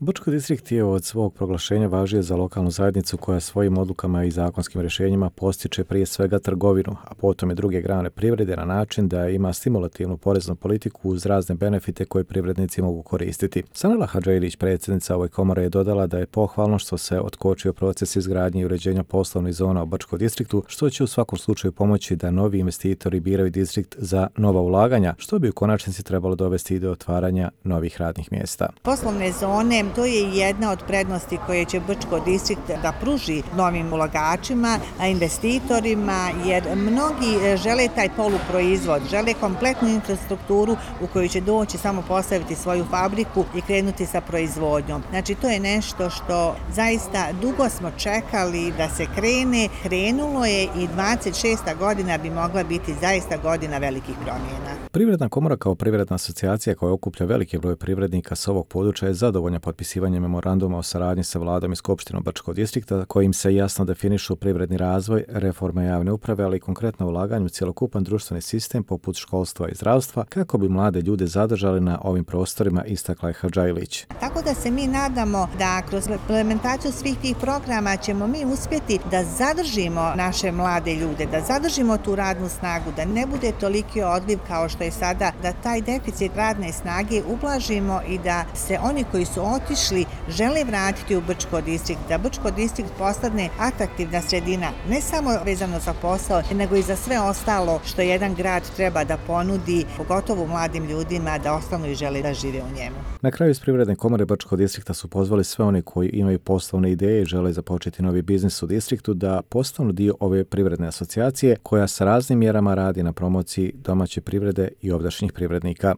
Brčko distrikt je od svog proglašenja važio za lokalnu zajednicu koja svojim odlukama i zakonskim rješenjima postiče prije svega trgovinu, a potom i druge grane privrede na način da ima stimulativnu poreznu politiku uz razne benefite koje privrednici mogu koristiti. Sanela Hadžajilić, predsjednica ove komore, je dodala da je pohvalno što se otkočio proces izgradnje i uređenja poslovnih zona u Brčko distriktu, što će u svakom slučaju pomoći da novi investitori biraju distrikt za nova ulaganja, što bi u konačnici trebalo dovesti i do otvaranja novih radnih mjesta. Poslovne zone, to je jedna od prednosti koje će Brčko distrikt da pruži novim ulagačima, investitorima, jer mnogi žele taj poluproizvod, žele kompletnu infrastrukturu u koju će doći samo postaviti svoju fabriku i krenuti sa proizvodnjom. Znači, to je nešto što zaista dugo smo čekali da se krene. Krenulo je i 26. godina bi mogla biti zaista godina velikih promjena. Privredna komora kao privredna asocijacija koja okuplja veliki broj privrednika s ovog područja je zadovoljna potpisivanjem memoranduma o saradnji sa vladom i skupštinom Brčkog distrikta, kojim se jasno definišu privredni razvoj, reforma javne uprave, ali i konkretno ulaganje u cjelokupan društveni sistem poput školstva i zdravstva, kako bi mlade ljude zadržali na ovim prostorima, istakla je Hadžajilić. Tako da se mi nadamo da kroz implementaciju svih tih programa ćemo mi uspjeti da zadržimo naše mlade ljude, da zadržimo tu radnu snagu, da ne bude toliki odliv kao što je sada, da taj deficit radne snage ublažimo i da se oni koji su otišli žele vratiti u Brčko distrikt, da Brčko distrikt postane atraktivna sredina, ne samo vezano za posao, nego i za sve ostalo što jedan grad treba da ponudi, pogotovo mladim ljudima da ostanu i žele da žive u njemu. Na kraju iz Privredne komore Brčkog distrikta su pozvali sve oni koji imaju poslovne ideje i žele započeti novi biznis u distriktu da postanu dio ove privredne asocijacije koja sa raznim mjerama radi na promociji domaće privrede i ovdašnjih privrednika.